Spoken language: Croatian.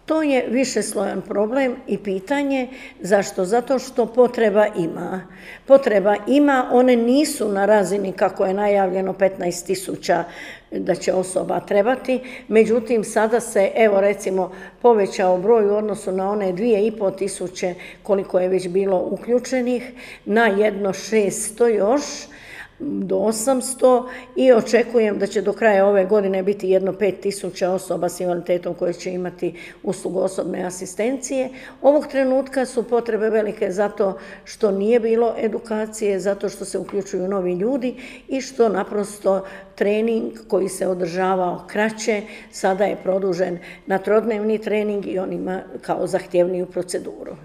To je višeslojan problem i pitanje. Zašto? Zato što potreba ima. Potreba ima, one nisu na razini kako je najavljeno 15.000 da će osoba trebati, međutim sada se, evo recimo, povećao broj u odnosu na one 2.500 koliko je već bilo uključenih, na jedno 600 još, do 800 i očekujem da će do kraja ove godine biti jedno 5.000 osoba s invaliditetom koje će imati uslugu osobne asistencije. Ovog trenutka su potrebe velike zato što nije bilo edukacije, zato što se uključuju novi ljudi i što naprosto trening koji se održavao kraće sada je produžen na trodnevni trening i on ima kao zahtjevniju proceduru.